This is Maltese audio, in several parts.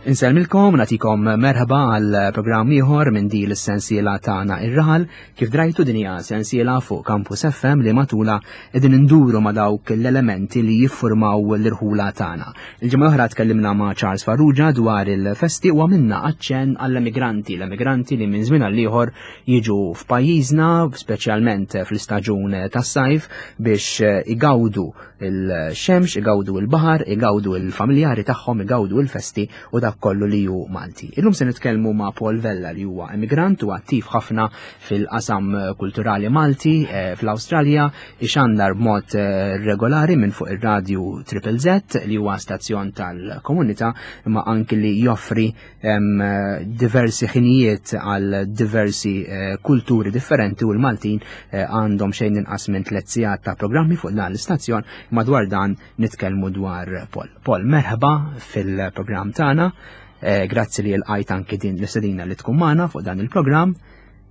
Insellmilkom, natikom merħba għal programm ieħor minn din l-sensiela tagħna ir-raħal. Kif drajtu din hija sensiela fuq Campus FM li matula qegħdin induru ma' dawk l-elementi li jiffurmaw l-irħula tagħna. Il-ġimgħa l-oħra tkellimna ma' Charles Farrugia dwar il-festi u għamilna aċċenn għall-emigranti, l-emigranti li minn żmien għal ieħor jiġu f'pajjiżna, speċjalment fl-istaġun tas-sajf biex igawdu il-xemx, igawdu il-baħar, igawdu il-familjari tagħhom, igawdu il-festi u dak kollu li hu Malti. Illum se nitkellmu ma' Paul Vella li huwa emigrant u attiv ħafna fil-qasam kulturali Malti eh, fl-Awstralja, ixandar b'mod eh, regolari minn fuq ir-radju Triple Z li huwa stazzjon tal-komunità imma anki li joffri diversi ħinijiet għal diversi eh, kulturi differenti u l-Maltin eh, għandhom xejn inqas minn tliet sigħat ta' programmi fuq dan l-istazzjon madwar dan nitkellmu dwar Paul. Paul, merħba fil-programm tagħna. Eh, grazzi li l-qajt anki din l-istedina li tkun magħna fuq dan il-programm.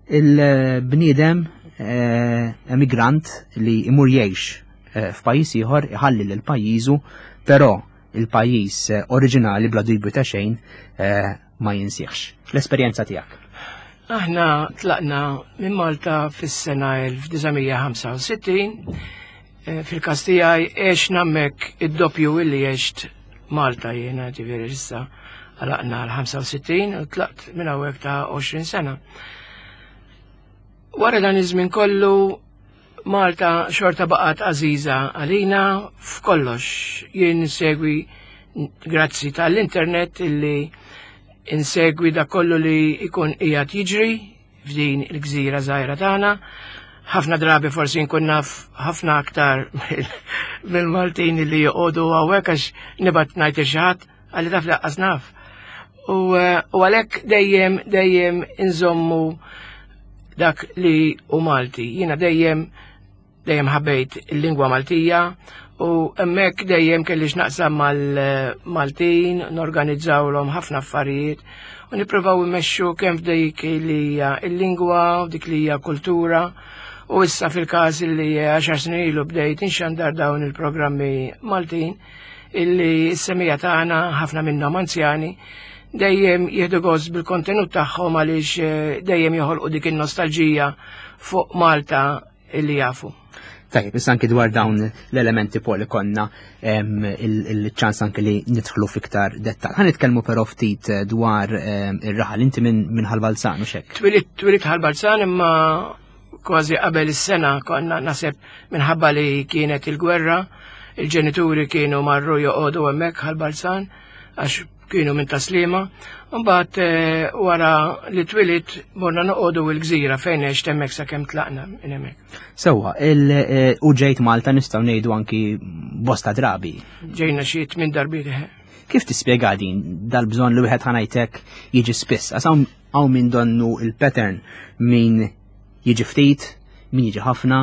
Il-bniedem emigrant li imur jgħix f'pajjiż ieħor iħalli lil pajjiżu, però il-pajjiż eh, oriġinali bla dubju ta' xejn eh, ma jinsieħx. L-esperjenza tiegħek. Aħna tlaqna minn Malta fis-sena 1965 eh, fil-każ tiegħi għexna hemmhekk id-doppju illi għext Malta jiena ġifieri issa għalaqna l-65 u tlaqt minn hawnhekk ta' 20 sena. Wara dan iż-żmien kollu Malta xorta baqgħet għażiża għalina f'kollox. Jien insegwi grazzi tal-internet illi insegwi da kollu li jkun qiegħed jiġri f'din il-gżira żgħira tagħna. Ħafna drabi forsi nkun naf ħafna aktar mill-Maltin li joqogħdu hawnhekk għax nibgħat ngħid il xi ħadd għalli taf laqqas naf. U eh, għalhekk dejjem dejjem inżommu dak li u Malti. Jiena dejjem dejjem ħabbejt il-lingwa Maltija u hemmhekk dejjem kelli x'naqsam mal-Maltin, norganizzawlhom ħafna affarijiet u nippruvaw immexxu kemm f'dik li hija il-lingwa u dik li hija kultura. U issa fil-każ li għaxar snin ilu bdejt inxandar dawn il-programmi Maltin illi s-semija tagħna ħafna minnhom anzjani dejjem jieħdu gost bil-kontenut tagħhom għaliex eh, dejjem joħolqu dik in-nostalġija fuq Malta illi jafu. Tajjeb, issa anki dwar dawn l-elementi poli konna il-ċans anki li nidħlu fiktar dettal. Ħa nitkellmu però ftit eh, dwar ir-raħal inti minn Ħal-Balzan u xek. Twilit Ħal-Balzan imma Kważi qabel is-sena konna naħseb minħabba li kienet il-gwerra, il-ġenituri kienu marru joqogħdu hemmhekk ħal-Balzan għax kienu minn taslima. Mbagħad eh, wara li twilit morna noqogħdu l-gżira fejn għext hemmhekk sakemm tlaqna minn hemmhekk. Sewwa, eh, u ġejt Malta nistgħu ngħidu anki bosta drabi. Ġejna xi tmien darbiet. Eh. Kif tispjega din dal-bżonn li wieħed ħanajtek jiġi spiss? Għax hawn min donnu il-pattern min jiġi ftit, min jiġi ħafna,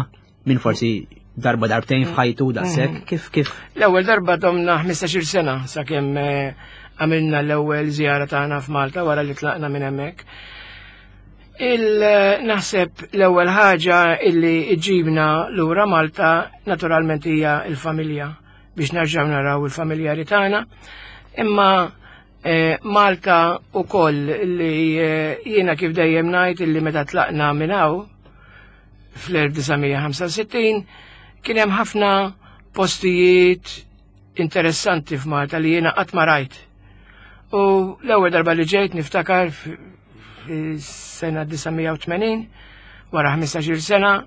min forsi darba darbtejn f'ħajtu daqshekk, mhm. kif kif. L-ewwel darba domna 15-il sena sakemm eh, għamilna l-ewwel żjara tagħna f'Malta wara li tlaqna minn hemmhekk. Il-naħseb l-ewwel ħaġa illi ġibna lura Malta naturalment hija l-familja biex nerġgħu naraw il-familjari tagħna. Imma Eh, Malta u koll li eh, jiena kif dejjem ngħid illi meta tlaqna minn hawn fl-1965 kien hemm ħafna postijiet interessanti f'Malta li jiena qatt ma rajt. U l-ewwel darba li ġejt niftakar fis-sena 1980 wara 15-il sena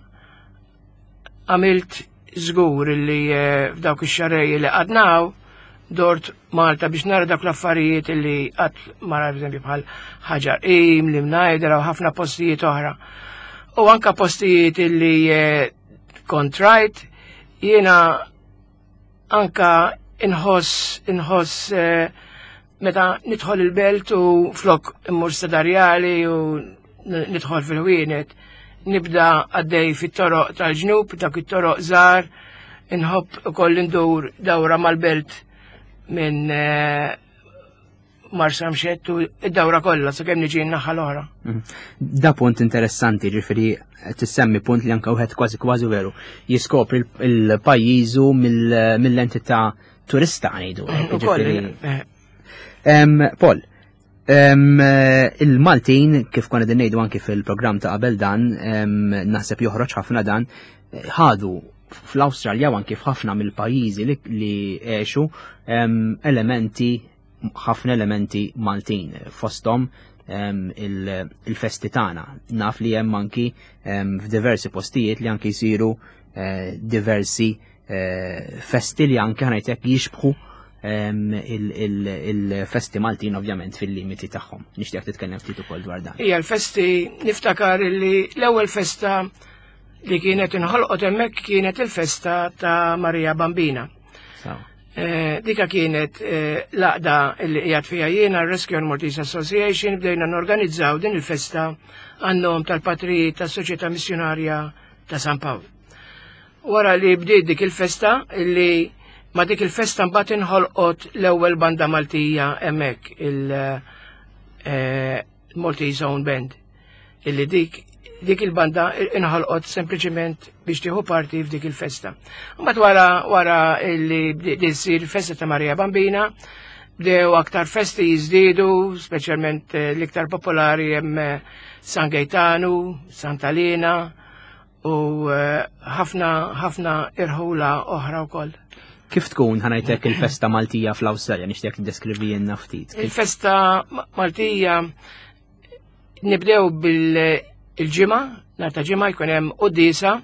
għamilt żgur li eh, f'dawk ix-xarrej li qadnaw dort Malta biex nara dak l-affarijiet li qatt mara eżempju bħal ħaġar qim, li mnajdra u ħafna postijiet oħra. U anka postijiet li eh, kont rajt jiena anka inħoss inħoss eh, meta nidħol il-belt u flok immur sedarjali u nidħol fil-ħwienet nibda għaddej fit-toroq tal-ġnub, dak it-toroq żgħar, inħobb ukoll indur dawra mal-belt minn eh, Marsa mxettu id-dawra kollha sakemm niġi n-naħa l-oħra. Mhm. Da punt interessanti, ġifieri tissemmi punt li anke wieħed kważi kważi veru jiskopri l-pajjiżu mill-entità turista ngħidu. Eh. Paul, Il-Maltin, kif konna din ngħidu anki fil-programm ta' qabel dan, naħseb joħroġ ħafna dan, ħadu fl-Awstralja u anki f'ħafna mill-pajjiżi li għexu elementi ħafna elementi Maltin fosthom il-festi tagħna. Naf li hemm anki f'diversi postijiet li anki jsiru eh, diversi eh, festi li anke ħanajtek jixbħu il-festi Maltin ovvjament fil-limiti tagħhom. Nixtieq titkellem ftit ukoll dwar dan. Hija l-festi niftakar li l-ewwel festa li kienet inħolqot hemmhekk kienet il-festa ta' Maria Bambina. Eh, dika kienet eh, laqda li qiegħed fiha jiena Rescue and Maltese Association bdejna norganizzaw din il-festa għan-nom tal-patrijiet tas-Soċjetà Missjonarja ta' San Pawl. Wara li bdiet dik il-festa li ma dik il-festa mbagħad inħolqot l-ewwel banda Maltija hemmhekk il-Maltese eh, Own Band. Illi dik dik il-banda inħolqot sempliċement biex tieħu parti f'dik il-festa. Mbagħad wara wara li bdiet issir festa ta' Marija Bambina, bdew aktar festi jiżdiedu, speċjalment eh, l-iktar popolari hemm eh, San Gaetanu, Santa Lena, u eh, ħafna ħafna irħula oħra wkoll. Kif tkun ħanajtek il-festa Maltija fl-Awstralja nixtieq tiddeskrivi jenna ftit. Il-festa Maltija nibdew bil-ġimgħa, nhar ta' ġimgħa jkun hemm quddiesa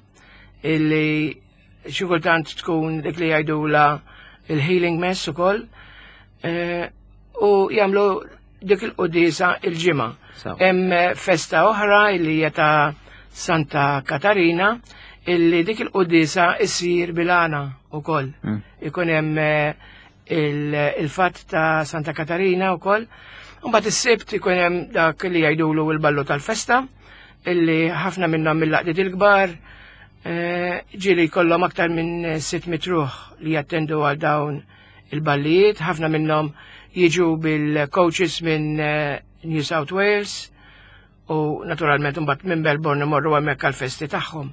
illi xi kultant tkun dik li jgħidula il-healing mess ukoll eh, u jagħmlu dik il-quddiesa il-ġimgħa. Hemm festa oħra illi hija ta' Santa Katarina illi dik il-quddiesa issir bilana ukoll. Ikun hemm eh, il-fatt ta' Santa Katarina wkoll. Mbagħad is-Sibt ikun hemm dak li jgħidulu l-ballu tal-festa illi ħafna minnhom mill-laqdiet il-kbar eh, ġieli jkollhom aktar minn 600 ruħ li jattendu għal dawn il-ballijiet, ħafna minnhom jiġu bil-coaches minn eh, New South Wales u naturalment imbagħad minn Melbourne imorru hemmhekk għall-festi tagħhom.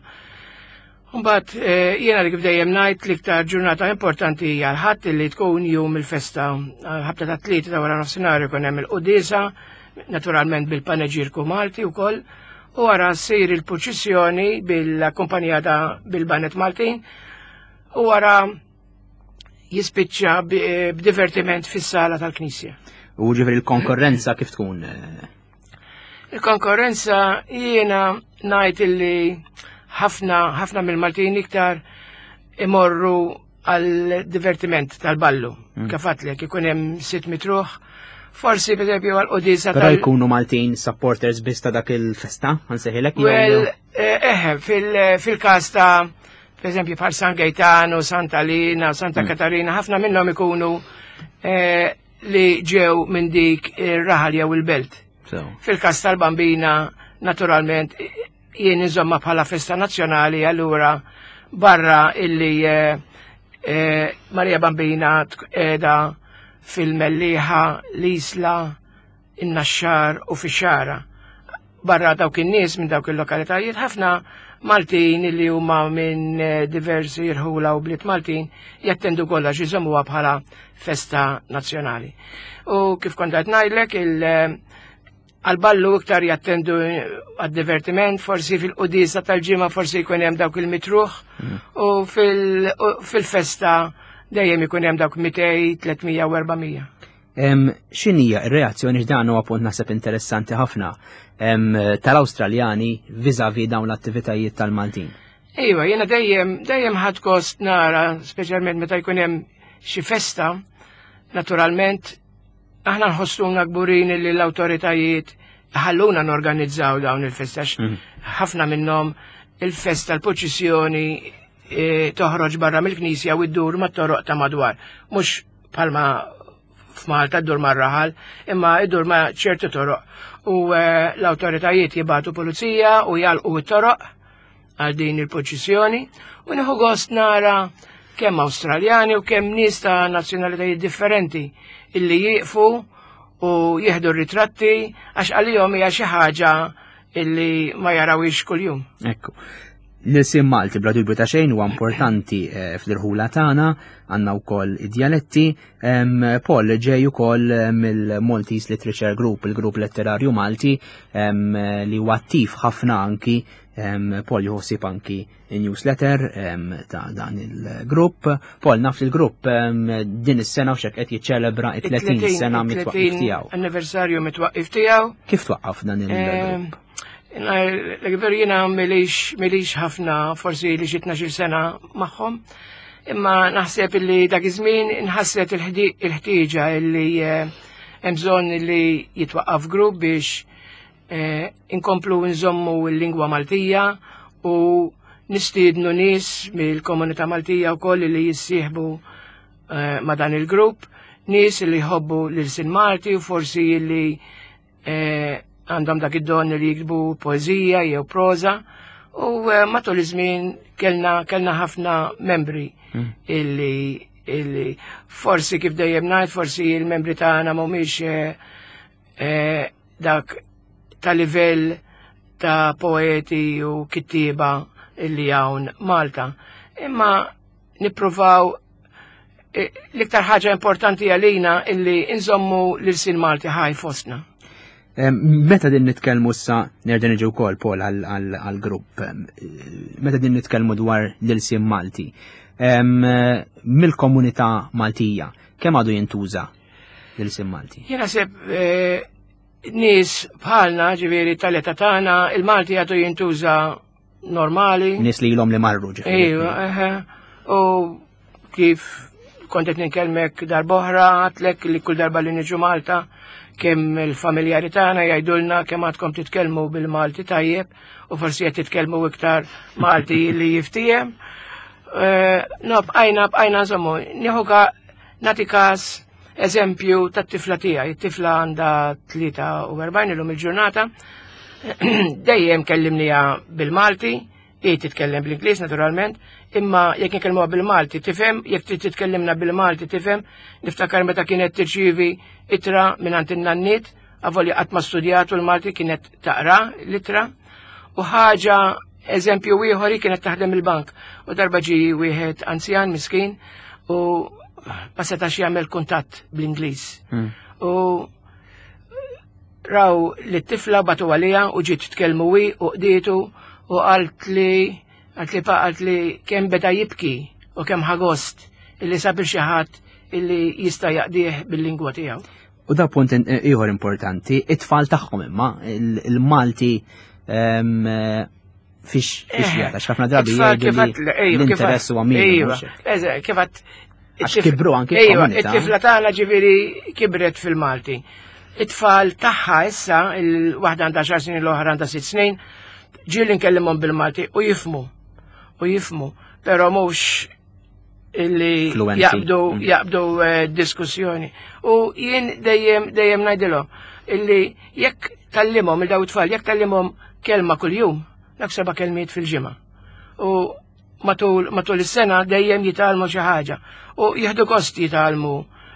Mbagħad eh, jiena li kif dejjem ngħid l-iktar ġurnata importanti hija l-ħadd li tkun jum il-festa ħabta ta' tlieta ta' wara nofsinhar ikun hemm il-quddiesa, naturalment bil-paneġirku Malti wkoll, u wara ssir il-purċissjoni bil-akkumpanjata bil-banet Maltin u wara jispiċċa b'divertiment fis-sala tal-Knisja. U ġifieri l-konkurrenza kif tkun? Il-konkurrenza jiena ngħid illi ħafna ħafna mill-Maltin iktar imorru għal divertiment tal-ballu. Kif għadtlek ikun hemm 600 ruħ, forsi per eżempju għal qudisa Però jkunu Maltin supporters biss ta' dak il-festa, ħansejħilek jew. Well, eh, fil-każ ta' Per eżempju, bħal San Gaetano, Santa Lina, Santa mm. Katarina, ħafna minnhom ikunu eh, li ġew minn dik ir-raħal jew il-belt. Fil-każ tal-Bambina, naturalment, jien inżomma bħala festa nazzjonali, allura barra illi eh, eh, Maria Bambina qiegħda fil-Mellieħa, l-Isla, in-Naxxar u fix-Xagħra. Barra dawk in-nies minn dawk il-lokalitajiet ħafna Maltin li huma minn eh, diversi irħula u bliet Maltin jattendu kollha għax iżommuha bħala festa nazzjonali. U kif kont qed ngħidlek il eh, għal-ballu iktar jattendu eh, għad-divertiment, forsi fil-qudisa tal-ġimgħa forsi jkun hemm dawk il-mitruħ mm. u fil-festa dejjem ikun hemm dawk 200, 300 u 400. X'inhija r-reazzjoni x'dan huwa punt naħseb interessanti ħafna tal-Awstraljani viżavi dawn l-attivitajiet tal-Maltin? Iva, jiena dejjem dejjem ħadd gost nara, speċjalment meta jkun hemm xi festa, naturalment aħna nħossuna kburin li l-awtoritajiet ħalluna norganizzaw dawn il-festa mm. ħafna minnhom il-festa l-poċissjoni e, toħroġ barra mill-knisja u ddur mat-toroq ta' madwar. Mhux palma f'Malta ddur mar-raħal, imma iddur ma' ċertu toroq. U eh, l-awtoritajiet jibatu pulizija u jalqu t-toroq għal din il-poċissjoni u nieħu gost nara kemm Awstraljani u kemm nies ta' nazzjonalitajiet differenti illi jieqfu u jieħdu r-ritratti għax għalihom hija xi ħaġa illi ma jarawix kuljum. Ekku. L-ilsien Malti bla dubju ta' xejn huwa importanti eh, fl-irħula tagħna, għandna wkoll id-djaletti. Paul ġej ukoll eh, mill-Maltese Literature Group, il-grupp letterarju Malti li huwa attiv ħafna anki Paul jħossib anki newsletter ta' dan il-grupp. Paul naf li l-grupp din is-sena u xek qed jiċċelebra 30 sena mit-twaqqif tiegħu. Anniversarju mit-twaqqif tiegħu. Kif twaqqaf dan il-grupp? L-gver jina milix ħafna, forsi li xi 12 sena magħhom, imma naħseb li dak iż-żmien inħasset il-ħtieġa li eh, hemm bżonn li jitwaqqaf grupp biex eh, inkomplu nżommu l-lingwa Maltija u nistiednu nies mill-komunità Maltija wkoll li jissieħbu eh, ma' dan il-grupp, nies li jħobbu l-sin Malti u forsi li Eh, għandhom dak id-don li jiktbu poezija jew proza u eh, matul iż-żmien kellna kellna ħafna membri hmm. illi illi forsi kif dejjem ngħid forsi il-membri tagħna mhumiex eh, dak ta' livell ta' poeti u kittieba illi hawn Malta. Imma nippruvaw eh, l-iktar ħaġa importanti għalina illi inżommu l-sin Malti ħaj fostna. Meta din nitkellmu issa nerġa' niġi wkoll Paul għall-grupp. Meta din nitkellmu dwar l-ilsien Malti. Mill-komunità Maltija, kemm għadu jintuża l-ilsien Malti? Jien naħseb eh, nies bħalna, ġifieri tal-età tagħna, il-Malti għadu jintuża normali. Nies li ilhom li marru ġifieri. Ejwa, U kif kont qed ninkellmek darb'oħra għatlek li kull darba li niġu Malta kemm il-familjari tagħna jgħidulna kemm għadkom titkellmu bil-Malti tajjeb u forsi qed titkellmu iktar Malti li jiftiehem. Eh, no, bqajna, bqajna nżommu, nieħu nagħti każ eżempju tat-tifla tiegħi. It-tifla għandha 43 illum il-ġurnata. Dejjem kellimniha bil-Malti, hi titkellem bl-Ingliż naturalment, imma jekk nkellmuha bil-Malti tifhem, jekk trid titkellimna bil-Malti tifhem, niftakar meta kienet tirċievi ittra mingħand in-nanniet, avolja qatt ma studjatu l-Malti kienet taqra l-ittra. U ħaġa eżempju ieħor kienet taħdem il-bank u darba ġi wieħed anzjan miskin u ma setax jagħmel kuntatt bl-Ingliż. Hmm. U raw li t-tifla batu għalija u ġiet tkellmu wi u qdietu u qalt li qalt li pa qalt li kemm beda jibki u kemm ħagost illi sabir xi ħadd illi jista' jaqdih bil-lingwa tiegħu. U da punt ieħor importanti, it-tfal tagħhom imma il-Malti ehm, fix fix eh, jgħata, x'ħafna drabi jgħidu li l-interess huwa minimu. Kif Għax kibru anki Ejwa, it-tifla tagħna ġifieri kibret fil-Malti. It-tfal tagħha issa, il-waħda għandha xar snin l-oħra għandha sitt snin, ġieli nkellimhom bil-Malti u jifmu. U jifmu, però mhux illi jaqbdu mm. jaqbdu eh, diskussjoni. U jien dejjem dejjem ngħidilhom illi jekk tallimhom il daw tfal jekk tallimhom kelma kuljum, dak seba' kelmiet fil-ġimgħa. U matul matul is-sena dejjem jitgħallmu xi ħaġa u jieħdu gost jitgħallmu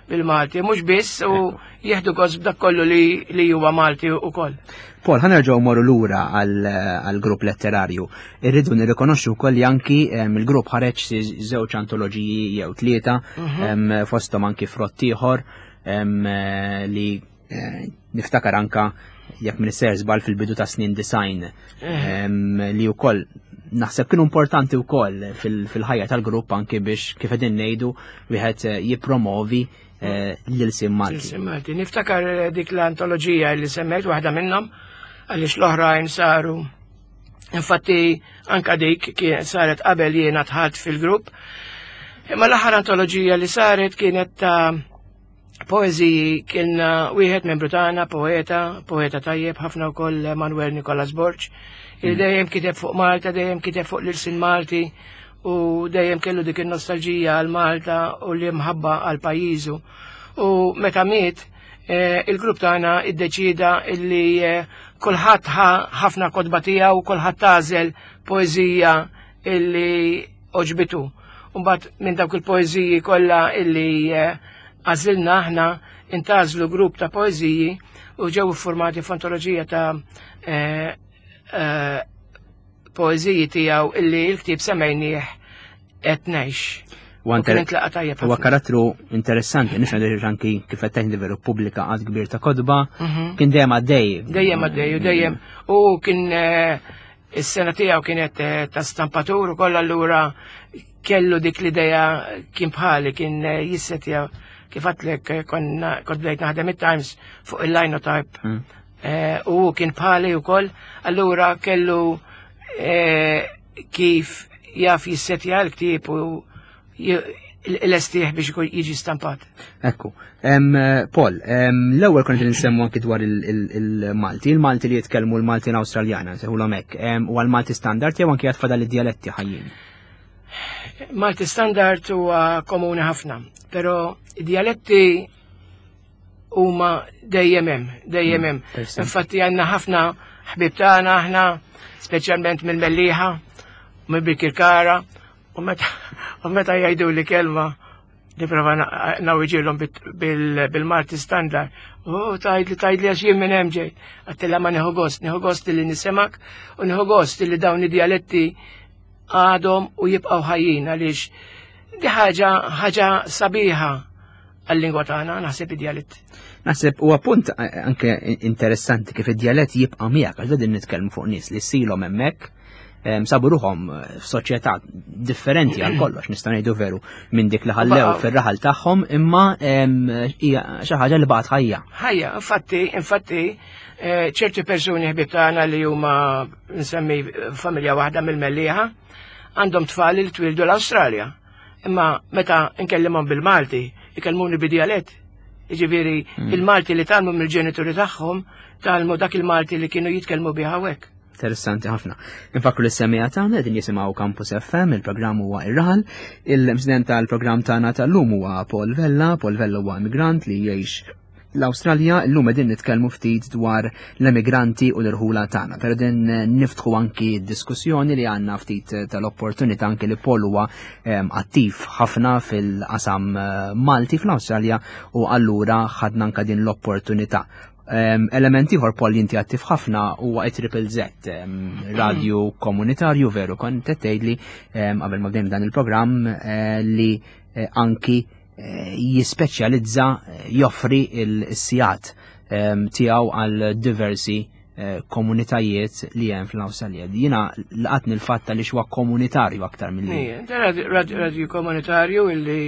bil-Malti, mhux biss u jieħdu gost b'dak kollu li, li huwa Malti ukoll. Paul, ħa nerġgħu morru lura għall-grupp letterarju. Irridu nirrikonoxxu wkoll li anki il-grupp ħareġ żewġ antoloġiji jew tlieta mhm. fosthom anki frott ieħor li eh, niftakar anka jekk minn ser żball fil-bidu ta' snin design eh. li wkoll naħseb kienu importanti wkoll fil-ħajja tal-grupp anki biex kif qegħdin ngħidu wieħed eh, jippromovi eh, l-ilsim Malti. L-ilsim Malti. Niftakar eh, dik l-antoloġija li semmejt waħda minnhom għaliex l-oħrajn saru. Infatti anka dik kien saret qabel jiena tħadd fil-grupp. Imma l-aħħar antoloġija li saret kienet ta' poeżiji kien wieħed membru tagħna, poeta, poeta tajjeb ħafna wkoll Manuel Nicolas Borg, il mm. dejjem kiteb fuq Malta, dejjem kiteb fuq l-irsin Malti, u dejjem kellu dik in-nostalġija għal Malta u l-imħabba għal pajjiżu. U meta miet, eh, il-grupp tagħna iddeċida illi eh, kulħadd ħafna kotba tiegħu, kulħadd tagħżel poeżija illi oġbitu. Mbagħad minn dawk il-poeżiji kollha illi eh, għażilna aħna intażlu grupp ta' poeżiji u ġew iffurmati f'antoloġija ta' poeżiji tiegħu illi l-ktieb semmejnieh qed ngħix. Huwa karattru interessanti, nix għandu anki kif qed tgħid veru pubblika għad kbir ta' kodba, kien dejjem għaddej. Dejjem għaddej u dejjem u kien eh, is-sena tiegħu kienet eh, ta' stampatur u kollha allura kellu dik l-idea kien bħali kien eh, jissetja kif għatlek eh, konna kont bdejt naħdem it-Times fuq il-linotype. U kien bħali wkoll, allura kellu kif jaf jissetja l-ktieb u l-estieħ biex jiġi stampat. Ekku. Paul, l-ewwel kont nsemmu anki dwar il-Malti, il-Malti li jitkellmu l-Malti Awstraljana, sejħulhom hekk, u għal-Malti standard jew anki għad fadal id-dialetti ħajjin. Malti standard huwa komuni ħafna, però id-dialetti huma dejjem hemm, dejjem hemm. Infatti għandna ħafna ħbib tagħna aħna, speċjalment mill-Mellieħa, minn Birkirkara, u meta jgħidu li kelma nipprova nawiġilhom bil-Malti standard. U tgħidli tgħidli għax jien minn hemm ġej. Għattilla ma nieħu gost, nieħu gost li nisimgħek u nieħu gost li dawn id-dialetti għadhom u jibqgħu ħajjin għaliex di ħaġa ħaġa sabiħa għal-lingwa tagħna naħseb id-djalett. Naħseb huwa punt eh, anke interessanti kif id-djalett jibqa' miegħek għax din nitkellmu fuq nies li silhom hemmhekk sabu ruħhom eh, f'soċjetà differenti għal kollox nista' ngħidu veru minn dik li ħallew fir-raħal tagħhom imma hija xi ħaġa li baqgħet ħajja. Ħajja, infatti, infatti eh, ċerti persuni ħbieb tagħna li huma nsemmi familja waħda mill-Mellieħa għandhom tfal li twildu l-Awstralja. Imma meta nkellimhom bil-Malti, ikellmuni bi-djalett. Jiġifieri il-Malti li tgħallmu mill-ġenituri tagħhom, tgħallmu dak il-Malti li kienu jitkellmu bih hawnhekk. Interessanti ħafna. Infakru li s-semija tagħna qegħdin jisimgħu Campus FM, il-programm huwa Ir-Raħal. Il-President tal-programm tagħna tal-lum huwa Paul Vella. Paul Vella huwa immigrant li jgħix l-Awstralja, illum qegħdin nitkellmu ftit dwar l-emigranti u l-irħula tagħna. Però din niftħu anki diskussjoni li għandna ftit tal-opportunità anki li Paul huwa ehm, attiv ħafna fil-qasam eh, Malti fl-Awstralja u allura ħadna anka din l-opportunità. Ehm, element ieħor Paul inti attiv ħafna huwa triple Z, ehm, radio komunitarju veru kont qed tgħidli qabel ma bdejna dan il-programm eh, li eh, anki eh, jispeċjalizza eh, joffri il-sijat ehm, tiegħu għal diversi eh, komunitajiet li hemm fl-Awstralja. Jiena laqatni l-fatt li huwa komunitarju aktar mill-li. Radju komunitarju illi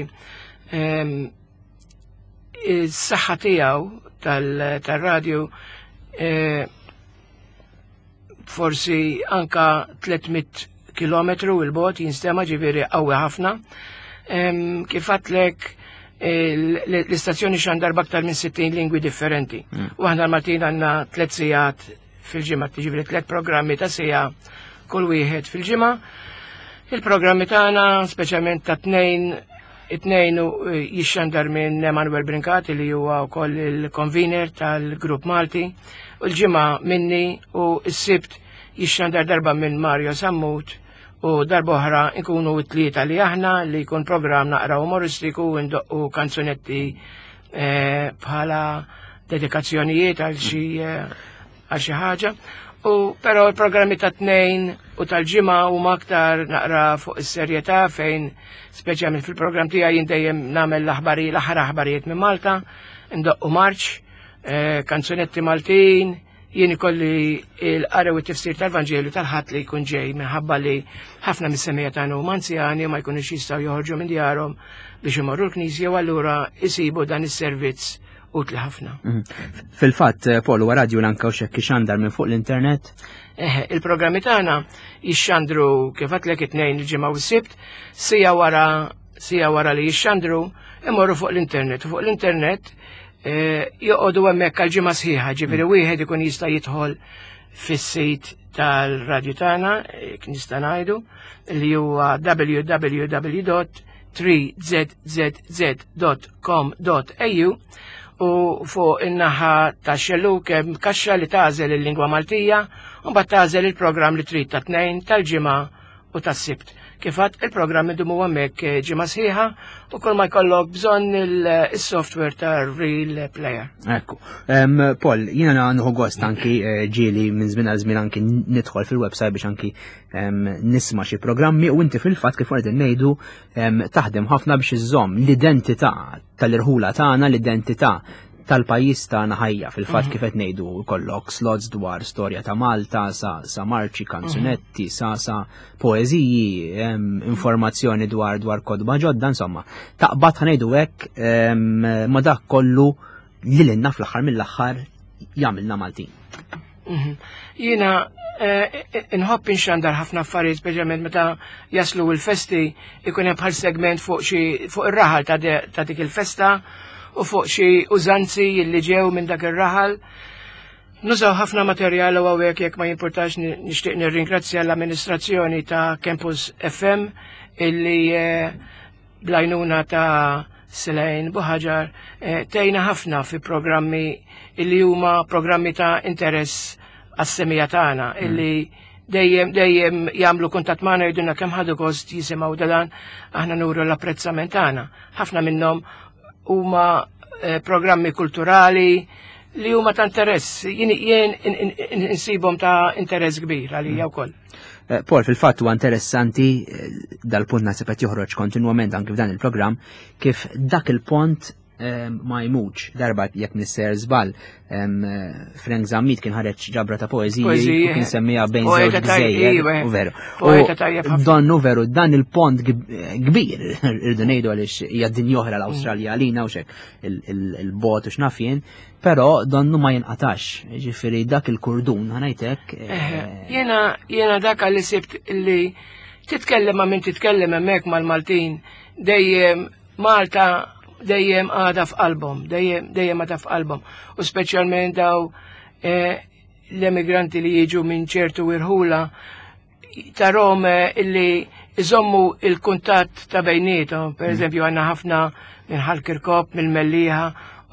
ehm, is-saħħa tiegħu tal-radju forsi anka 300 kilometru il-bot jinstema ġifieri qawwi ħafna. Kif għatlek l-istazzjoni xandar b'aktar minn 60 lingwi differenti. U aħna l-Maltin għandna tliet sigħat fil-ġimgħa, ġifieri tliet programmi ta' siegħa kull wieħed fil-ġimgħa. Il-programmi tagħna, speċjalment ta' tnejn, it-tnejn eh, jixxandar minn Emanuel Brincati li huwa wkoll il-convener tal-Grupp Malti, u l-ġimgħa minni u s-Sibt jixxandar darba minn Mario Sammut u darba oħra nkunu t-tlieta li aħna li jkun programm naqra umoristiku u ndoqqu kanzunetti eh, bħala dedikazzjonijiet għal xi eh, għal xi ħaġa. U però l-programmi ta' tnejn u tal-ġimgħa huma aktar naqra fuq is-serjetà fejn speċjalment fil-programm tiegħi jien dejjem nagħmel l-aħbari l-aħħar aħbarijiet minn Malta, ndoqqu marċ, eh, kanzunetti Maltin, jien ikolli l-qari u t-tifsir tal-Vanġelu tal-ħadd li jkun ġej minħabba li ħafna mis-semija tagħna huma anzjani u ma jkunux jistgħu joħorġu minn djarhom biex imorru l-knisja u allura jsibu dan is-servizz utli ħafna. Mhm. Fil-fatt, eh, Paul, huwa radju l-anka u xekk ixandar minn fuq l-internet? Eh, il-programmi tagħna jixxandru kif għatlek it-tnejn il-ġimgħa u s-sibt, sija wara sija wara li jixxandru imorru fuq l-internet. U fuq l-internet eh, joqogħdu hemmhekk għal ġimgħa sħiħa, ġifieri mm. wieħed ikun jista' jidħol fis-sit tal-radju tagħna, nista' ngħidu, li huwa www 3zzz.com.au u fuq in-naħa ta' xelluk hemm kaxxa li tagħżel il-lingwa Maltija u mbagħad tagħżel il-programm li trid ta' tnejn tal-ġimgħa u tas-Sibt. Kif għadt il-programm idumu hemmhekk eh, ġimgħa sħiħa u kull ma jkollok bżonn il-software ta' Real Player. Ekku. Paul, jiena nħu gost anki eh, ġieli minn żmien għal żmien anki nidħol fil-website biex anki nisma' xi programmi u inti fil-fatt kif qegħdin ngħidu taħdem ħafna biex iżżomm l-identità tal-irħula tagħna, l-identità tal-pajjiż tagħna ħajja fil-fatt mhm. kif qed ngħidu kollok slots dwar storja ta' Malta sa, sa marċi, kanzunetti, sa sa poeżiji, informazzjoni dwar dwar kodba ġodda, insomma. Taqbad ħanejdu hekk ma dak kollu li lilna fl-aħħar mill-aħħar jagħmilna Maltin. Mhm. Jiena eh, inħobb inxandar ħafna affarijiet, speċjalment meta jaslu l-festi ikun hemm bħal segment fuq xi fuq ir-raħal ta' dik il-festa u fuq xi użanzi li ġew minn dak ir-raħal. Nużaw ħafna materjal u hawnhekk jekk ma jimpurtax nixtieq nirringrazzja l-amministrazzjoni ta' Campus FM illi eh, blajnuna ta' Silejn Buħaġar eh, tejna ħafna fi programmi illi huma programmi ta' interess għas-semija tagħna mm. illi dejjem dejjem jagħmlu kuntatt magħna jgħidulna kemm ħadu gost jisimgħu dan aħna nuru l-apprezzament tagħna. Ħafna minnhom huma eh, programmi kulturali li huma ta' interess, jien insibhom ta' interess kbir għalija mm. wkoll. Eh, Paul, fil-fatt huwa interessanti eh, dal-punt naħseb qed joħroġ kontinwament anki f'dan il-programm kif dak il-pont eh, ma jmutx darba jekk nisser żball Frank Zammit kien ħareġ ġabra ta' poeżiji u kien semmija bejn żewġ gżejjer u veru. Donnu veru dan il-pont kbir irdu ngħidu għaliex hija dinja oħra l-Awstralja għalina u xek il-bot u x'naf jien, Però donnu ma jinqatax, ġifiri dak il-kurdun, ħanajtek. Eh, jena, jena dak li sibt li titkellem ma minn titkellem hemmhekk mal-Maltin, dejjem Malta dejjem għada f'qalbhom, dejjem dejjem għada f'qalbhom. U speċjalment daw eh, l-emigranti li jiġu minn ċertu irħula tarahom eh, illi iżommu il-kuntatt ta' bejnietom, per mm. eżempju għanna ħafna minn Ħal-Kirkop, minn Mellieħa,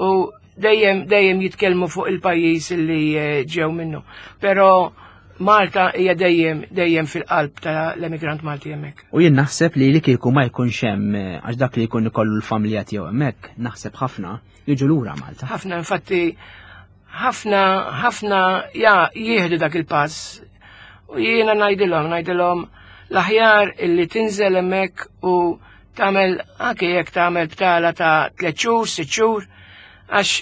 u dejjem dejjem jitkellmu fuq il-pajjiż illi eh, ġew minnu. Però Malta hija dejjem dejjem fil-qalb tal-emigrant Malti hemmhekk. U jien naħseb li li kieku ma jkunx hemm eh, għax dak li jkun ikollu l-familja tiegħu hemmhekk, naħseb ħafna jiġu lura Malta. Ħafna infatti ħafna ħafna ja jieħdu dak il-pass u jiena ngħidilhom ngħidilhom l-aħjar illi tinżel hemmhekk u tagħmel anke jekk tagħmel btala ta' tliet xhur, sitt xhur, għax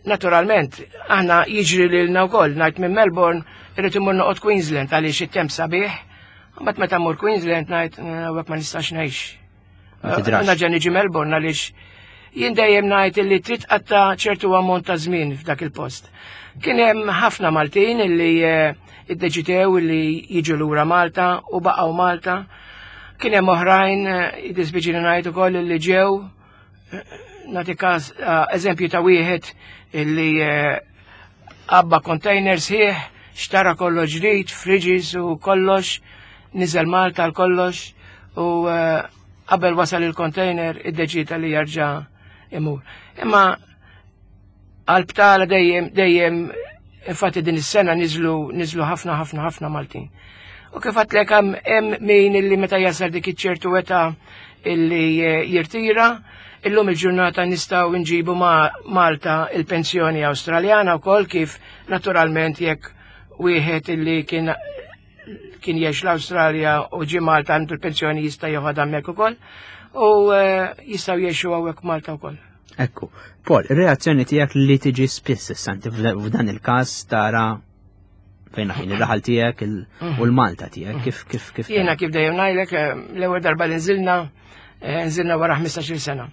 naturalment aħna jiġri lilna wkoll ngħid minn Melbourne irrid imur noqgħod Queensland għaliex it-temp sabiħ, mbagħad meta mmur Queensland ngħid hawnhekk ma nistax ngħix. Naġa niġi Melbourne għaliex jien dejjem ngħid illi trid qatta ċertu ammont ta' żmien f'dak il-post. Kien hemm ħafna Maltin illi eh, iddeċidew illi jiġu lura Malta u baqgħu Malta. Kien hemm oħrajn eh, jiddispiċini ngħid ukoll illi ġew eh, nagħti każ eżempju ta' wieħed illi għabba container sħiħ, xtara kollox ġdid, fridges u kollox, niżel Malta l kollox u eh, qabel wasal il-container iddeċida li jarġa' imur. Imma għal-btala dejjem dejjem infatti din is-sena niżlu niżlu ħafna ħafna ħafna Maltin. U kif għatlek hemm min illi meta jasal dik iċ-ċertu età illi eh, jirtira, illum il-ġurnata nistgħu nġibu ma' Malta il-pensjoni Awstraljana wkoll kif naturalment jekk wieħed illi kien kien jgħix l-Awstralja u ġie Malta għandu l-pensjoni jista' joħodha hemmhekk ukoll u eh, jistgħu jgħixu hawnhekk Malta wkoll. Ekku, Paul, ir-reazzjoni tiegħek li tiġi spiss issa inti f'dan il-każ tara fejn ħin ir-raħal tiegħek mhm. u l-Malta tiegħek mhm. kif kif kif. Jiena kif dejjem ngħidlek eh, l-ewwel darba li nżilna eh, nżilna wara 15-il sena.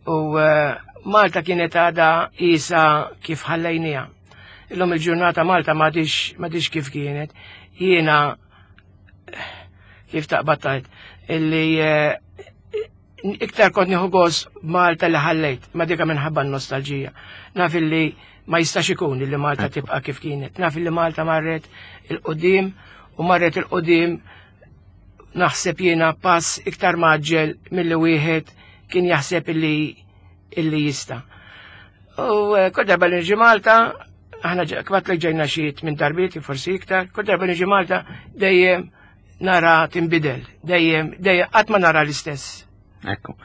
U eh, Malta kienet għadha isa kif ħallejnija. Illum il-ġurnata Malta m'għadix kif kienet. Jiena kif taqbad tajt illi iktar kont nieħu gost Malta li ħallejt, ma dika minħabba n-nostalġija. Naf illi ma jistax ikun illi Malta tibqa' kif kienet. Naf illi Malta marret il-qudiem u marret il-qudiem naħseb jiena pass iktar maġġel milli wieħed kien jaħseb illi illi jista. U eh, kull darba li niġi Malta, aħna kbat li ġejna xi minn darbiet, forsi iktar, kull darba niġi Malta dejjem nara tinbidel, dejjem, dejjem qatt ma nara l-istess. Ekku.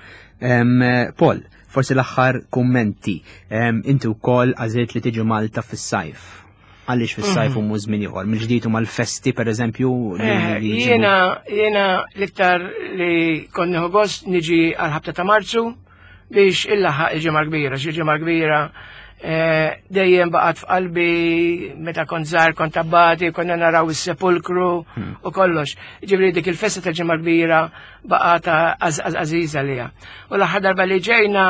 Paul, forsi l-aħħar kummenti. Inti wkoll għażilt li tiġi Malta fis-sajf. Għaliex fis-sajf mhm. u mhux żmien ieħor? Mill-ġdid huma l-festi pereżempju eh, Jiena jiena l-iktar li kont nieħu gost niġi għal ħabta ta' Marzu biex illaħaq il-ġimgħa kbira, xi ġimgħa kbira eh, dejjem baqgħet f'qalbi meta kont żgħar kont abbati, konna naraw is-sepulkru hmm. u kollox. Ġifieri dik il-festa tal-ġimgħa kbira baqgħet għażiża lija. U l-aħħar darba li ġejna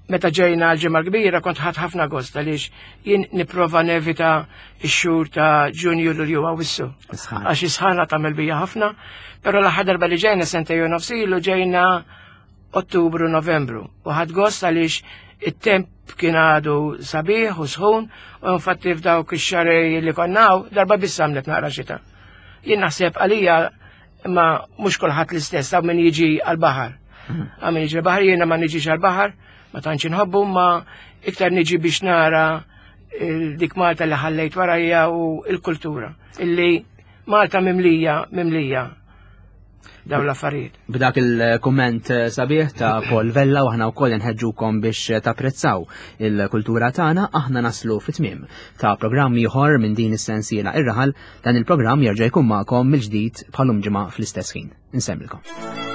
meta ġejna għal-ġimgħa kbira kont ħadd ħafna gost għaliex jien nipprova nevita x-xhur ta' Ġunju Lulju Awwissu. Għax is-sħana tagħmel bija ħafna, però l-aħħar darba li ġejna sentejn u nofs ilu ġejna Ottubru Novembru u ħadd gost għaliex it-temp kien għadu sabiħ u sħun u infatti f'dawk ix-xarej li konnaw darba biss għamlet naqra xita. Jien naħseb għalija imma mhux kulħadd l-istess hawn min jiġi għall-baħar. Hmm. Hawn min jiġi għall-baħar jiena ma niġix għall-baħar, ma tantx inħobbu ma iktar niġi biex nara dik Malta li ħallejt warajja u l-kultura illi Malta mimlija mimlija dawn l-affarijiet. B'dak il-kumment eh, sabiħ ta' Paul Vella u aħna wkoll inħeġġukom biex eh, tapprezzaw il-kultura tagħna, aħna naslu fit-tmiem ta' programm ieħor minn din is-sensiela ir-raħal dan il-programm jerġa' jkun magħkom mill-ġdid bħalum ġimgħa fl-istess ħin. Insemmilkom.